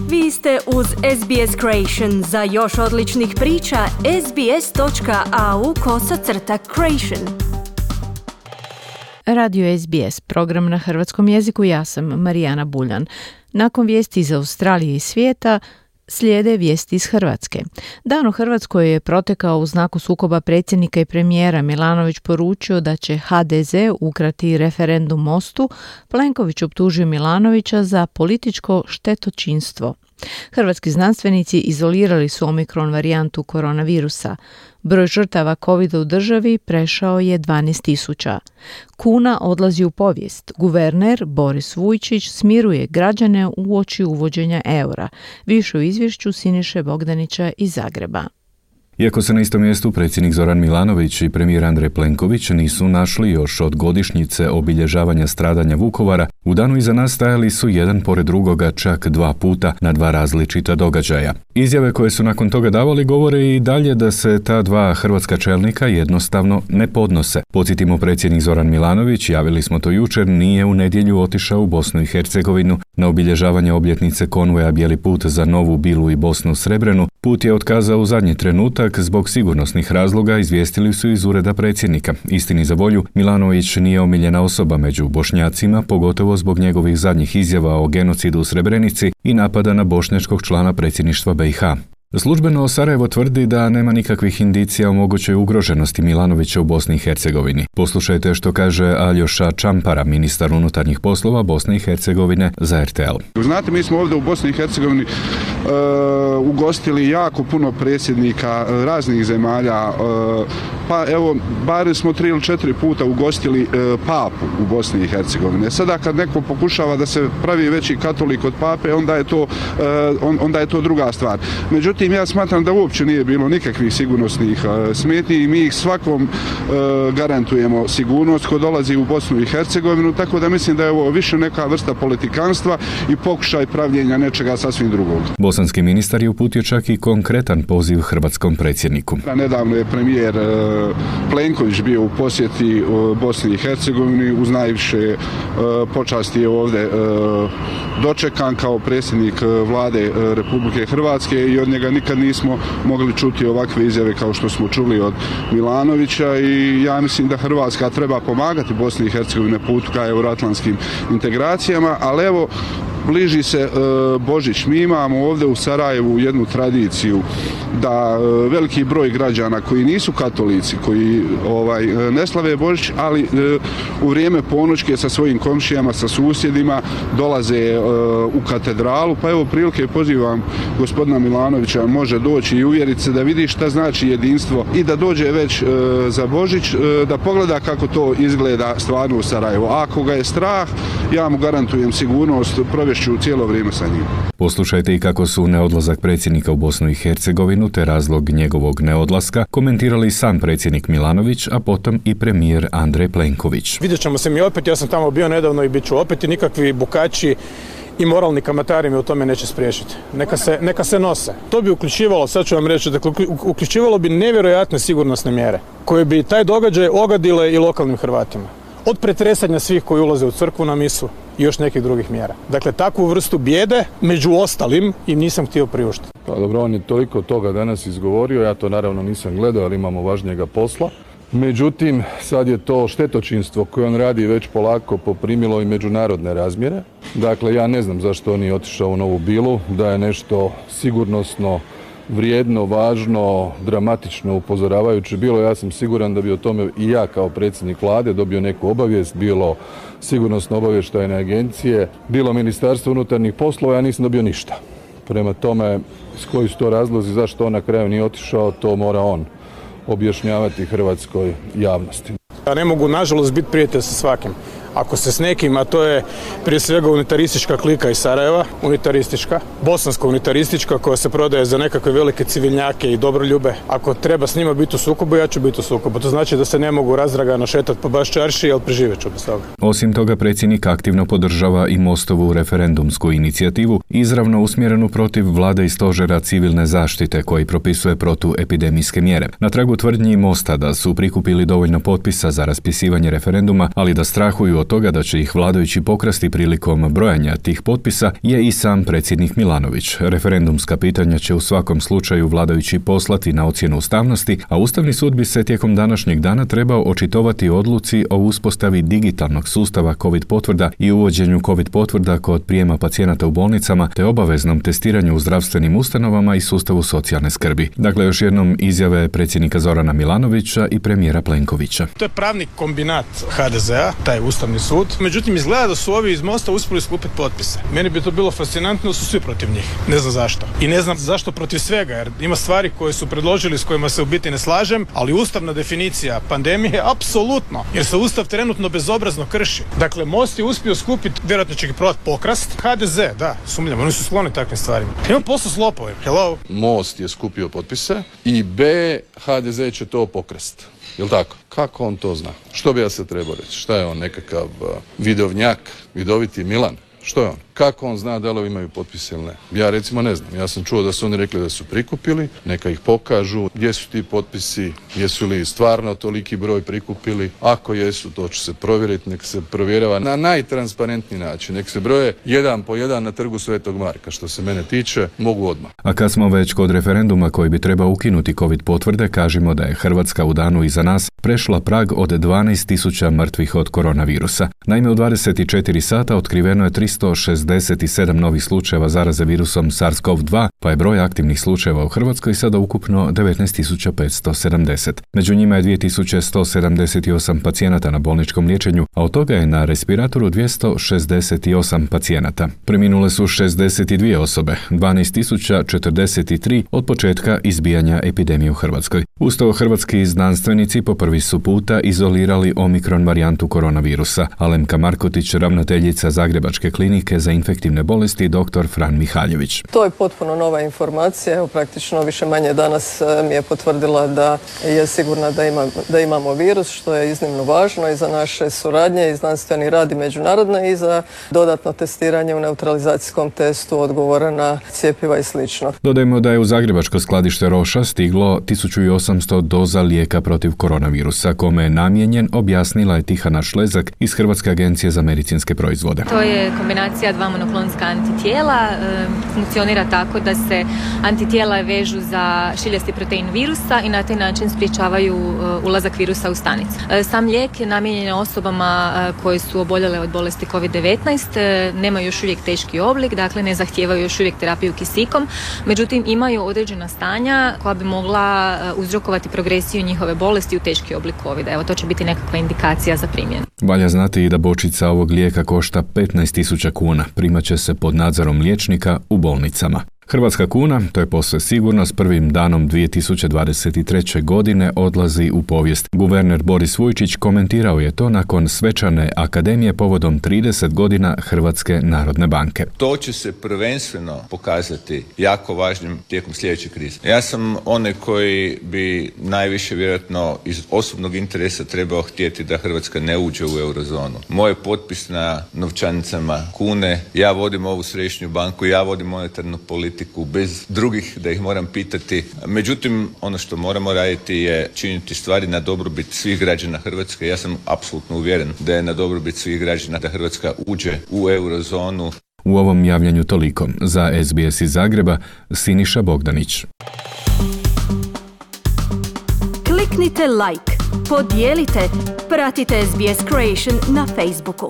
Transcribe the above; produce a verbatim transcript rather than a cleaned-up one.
Vi ste uz S B S Creation. Za još odličnih priča, sbs.au kosacrta creation. Radio S B S, program na hrvatskom jeziku, ja sam Marijana Buljan. Nakon vijesti iz Australije i svijeta, slijede vijesti iz Hrvatske. Dan u Hrvatskoj je protekao u znaku sukoba predsjednika i premijera. Milanović poručio da će H D Z ukrati referendum Mostu. Plenković optužio Milanovića za političko štetočinstvo. Hrvatski znanstvenici izolirali su omikron varijantu koronavirusa. Broj žrtava covida u državi prešao je dvanaest tisuća. Kuna odlazi u povijest. Guverner Boris Vujčić smiruje građane uoči uvođenja eura. Više u izvješću Siniše Bogdanića iz Zagreba. Iako se na istom mjestu predsjednik Zoran Milanović i premijer Andrej Plenković nisu našli još od godišnjice obilježavanja stradanja Vukovara, u danu iza nas stajali su jedan pored drugoga čak dva puta na dva različita događaja. Izjave koje su nakon toga davali govore i dalje da se ta dva hrvatska čelnika jednostavno ne podnose. Podsjetimo, predsjednik Zoran Milanović, javili smo to jučer, nije u nedjelju otišao u Bosnu i Hercegovinu na obilježavanje obljetnice konvoja Bijeli put za Novu Bilu i Bosnu Srebrenu. Put je otkazao u zadnji trenutak zbog sigurnosnih razloga, izvijestili su iz ureda predsjednika. Istini za volju, Milanović nije omiljena osoba među Bošnjacima, pogotovo zbog njegovih zadnjih izjava o genocidu u Srebrenici i napada na bošnjačkog člana predsjedništva B i H. Službeno Sarajevo tvrdi da nema nikakvih indicija o mogućoj ugroženosti Milanovića u Bosni i Hercegovini. Poslušajte što kaže Aljoša Čampara, ministar unutarnjih poslova Bosne i Hercegovine, za R T L. Znate, mi smo ovdje u Bosni i Hercegovini uh, ugostili jako puno predsjednika uh, raznih zemalja, uh, pa evo, bar smo tri ili četiri puta ugostili uh, papu u Bosni i Hercegovini. Sada kad neko pokušava da se pravi veći katolik od pape, onda je to, uh, on, onda je to druga stvar. Međutim, ja smatram da uopće nije bilo nikakvih sigurnosnih uh, smetnji i mi ih svakom uh, garantujemo sigurnost ko dolazi u Bosnu i Hercegovinu, tako da mislim da je ovo više neka vrsta politikanstva i pokušaj pravljenja nečega sasvim drugog. Bosanski ministar je uputio čak i konkretan poziv hrvatskom predsjedniku. Nedavno je premijer uh, Plenković bio u posjeti uh, Bosni i Hercegovini, uz najviše uh, počasti je ovdje uh, dočekan kao predsjednik uh, vlade uh, Republike Hrvatske i od njega nikad nismo mogli čuti ovakve izjave kao što smo čuli od Milanovića i ja mislim da Hrvatska treba pomagati Bosni i Hercegovini na putu ka euroatlantskim integracijama, ali evo, bliži se e, Božić. Mi imamo ovdje u Sarajevu jednu tradiciju da e, veliki broj građana koji nisu katolici, koji ovaj ne slave Božić, ali e, u vrijeme ponoćke sa svojim komšijama, sa susjedima dolaze e, u katedralu, pa evo prilike pozivam gospodina Milanovića, može doći i uvjeriti se da vidi šta znači jedinstvo i da dođe već e, za Božić, e, da pogleda kako to izgleda stvarno u Sarajevu. A ako ga je strah, ja mu garantujem sigurnost, provješću cijelo vrijeme sa njim. Poslušajte i kako su neodlazak predsjednika u Bosnu i Hercegovinu te razlog njegovog neodlaska komentirali sam predsjednik Milanović, a potom i premijer Andrej Plenković. Vidjet ćemo se mi opet, ja sam tamo bio nedavno i bit ću opet i nikakvi bukači i moralni kamatari mi u tome neće spriječiti. Neka se, neka se nose. To bi uključivalo, sad ću vam reći, dakle, uključivalo bi nevjerojatne sigurnosne mjere koje bi taj događaj ogadile i lokalnim Hrvatima. Od pretresanja svih koji ulaze u crkvu na misu i još nekih drugih mjera. Dakle, takvu vrstu bijede, među ostalim, im nisam htio priuštiti. Pa dobro, on je toliko toga danas izgovorio, ja to naravno nisam gledao, ali imamo važnijega posla. Međutim, sad je to štetočinstvo koje on radi već polako poprimilo i međunarodne razmjere. Dakle, ja ne znam zašto on je otišao u Novu Bilu, da je nešto sigurnosno vrijedno, važno, dramatično, upozoravajuće bilo. Ja sam siguran da bi o tome i ja kao predsjednik vlade dobio neku obavijest, bilo sigurnosno obavještajne agencije, bilo Ministarstvo unutarnjih poslova, ja nisam dobio ništa. Prema tome, s koji su to razlozi, zašto on na kraju nije otišao, to mora on objašnjavati hrvatskoj javnosti. Ja ne mogu, nažalost, biti prijatelj sa svakim. Ako se s nekim, a to je prije svega unitaristička klika iz Sarajeva, unitaristička, bosanska unitaristička koja se prodaje za nekakve velike civilnjake i dobroljube. Ako treba s njima biti u sukobu, ja ću biti u sukobu. To znači da se ne mogu razdragano šetati po baš čarši, ali preživjet ću bez toga. Osim toga, predsjednik aktivno podržava i Mostovu referendumsku inicijativu, izravno usmjerenu protiv vlade i stožera civilne zaštite koji propisuje protuepidemijske mjere. Na tragu tvrdnji Mosta da su prikupili dovoljno potpisa za raspisivanje referenduma, ali da strahuju od od toga da će ih vladajući pokrasti prilikom brojanja tih potpisa je i sam predsjednik Milanović. Referendumska pitanja će u svakom slučaju vladajući poslati na ocjenu ustavnosti, a Ustavni sud bi se tijekom današnjeg dana trebao očitovati o odluci o uspostavi digitalnog sustava COVID potvrda i uvođenju COVID potvrda kod prijema pacijenata u bolnicama te obaveznom testiranju u zdravstvenim ustanovama i sustavu socijalne skrbi. Dakle, još jednom izjave predsjednika Zorana Milanovića i premijera Plenkovića. To je pravni kombinat ha de zea, taj Ustavni sud. Međutim, izgleda da su ovi iz Mosta uspjeli skupiti potpise. Meni bi to bilo fascinantno, su svi protiv njih. Ne znam zašto. I ne znam zašto protiv svega, jer ima stvari koje su predložili s kojima se u biti ne slažem, ali ustavna definicija pandemije apsolutno, jer se Ustav trenutno bezobrazno krši. Dakle, Most je uspio skupiti, vjerojatno će ga probati pokrast. ha de ze, da, sumnjam, oni su skloni takvim stvarima. Imam posao s lopovima. Hello. Most je skupio potpise i B, ha de ze će to pokrast. Jel' tako? Kako on to zna? Što bi ja se trebao reći? Šta je on, nekakav uh, vidovnjak, vidoviti Milan? Što je on? Kako on zna da li imaju potpise ili ne? Ja recimo ne znam. Ja sam čuo da su oni rekli da su prikupili, neka ih pokažu. Gdje su ti potpisi? Jesu li stvarno toliki broj prikupili? Ako jesu, to će se provjeriti. Nek se provjerava na najtransparentniji način. Nek se broje jedan po jedan na trgu Svetog Marka. Što se mene tiče, mogu odmah. A kad smo već kod referenduma koji bi trebao ukinuti COVID potvrde, kažemo da je Hrvatska u danu iza nas prešla prag od dvanaest tisuća mrtvih od koronavirusa. Naime, u dvadeset četiri sata otkriveno je tristo šezdeset sedam novih slučajeva zaraze virusom SARS-CoV dva, pa je broj aktivnih slučajeva u Hrvatskoj sada ukupno devetnaest tisuća petsto sedamdeset. Među njima je dvije tisuće sto sedamdeset osam pacijenata na bolničkom liječenju, a od toga je na respiratoru dvjesto šezdeset osam pacijenata. Preminule su šezdeset dvije osobe, dvanaest tisuća četrdeset tri od početka izbijanja epidemije u Hrvatskoj. Uz to hrvatski znanstvenici po prvi su puta izolirali omikron varijantu koronavirusa. Alemka Markotić, ravnateljica Zagrebačke klinike za infektivne bolesti, dr. Fran Mihaljević. To je potpuno nova informacija. Evo, praktično više manje danas mi je potvrdila da je sigurna da, ima, da imamo virus, što je iznimno važno i za naše suradnje i znanstveni rad i međunarodne i za dodatno testiranje u neutralizacijskom testu odgovora na cjepiva i slično. Dodajmo da je u zagrebačko skladište Roša stiglo tisuću osamsto doza lijeka protiv koronavirusa, kome je namijenjen, objasnila je Tihana Šlezak iz Hrvatske agencije za medicinske proizvode. To je kombinacija dva monoklonska antitijela. E, funkcionira tako da se antitijela vežu za šiljasti protein virusa i na taj način sprječavaju e, ulazak virusa u stanicu. E, sam lijek je namijenjen osobama e, koje su oboljele od bolesti kovid devetnaest, e, nemaju još uvijek teški oblik, dakle ne zahtijevaju još uvijek terapiju kisikom, međutim imaju određena stanja koja bi mogla e, uzrokovati progresiju njihove bolesti u teški oblik covida. Evo, to će biti nekakva indikacija za primjenu. Valja znati i da bočica ovog lijeka košta petnaest tisuća kuna, primat će se pod nadzorom liječnika u bolnicama. Hrvatska kuna, to je posve sigurno, s prvim danom dvije tisuće dvadeset treće. godine odlazi u povijest. Guverner Boris Vujčić komentirao je to nakon svečane akademije povodom trideset godina Hrvatske narodne banke. To će se prvenstveno pokazati jako važnim tijekom sljedeće krize. Ja sam onaj koji bi najviše vjerojatno iz osobnog interesa trebao htjeti da Hrvatska ne uđe u eurozonu. Moj potpis na novčanicama kune, ja vodim ovu središnju banku, ja vodim monetarnu politiku bez drugih da ih moram pitati. Međutim, ono što moramo raditi je činiti stvari na dobrobit svih građana Hrvatske. Ja sam apsolutno uvjeren da je na dobrobit svih građana da Hrvatska uđe u eurozonu. U ovom javljanju toliko. Za es be es iz Zagreba, Siniša Bogdanić. Kliknite like, podijelite, pratite es be es Creation na Facebooku.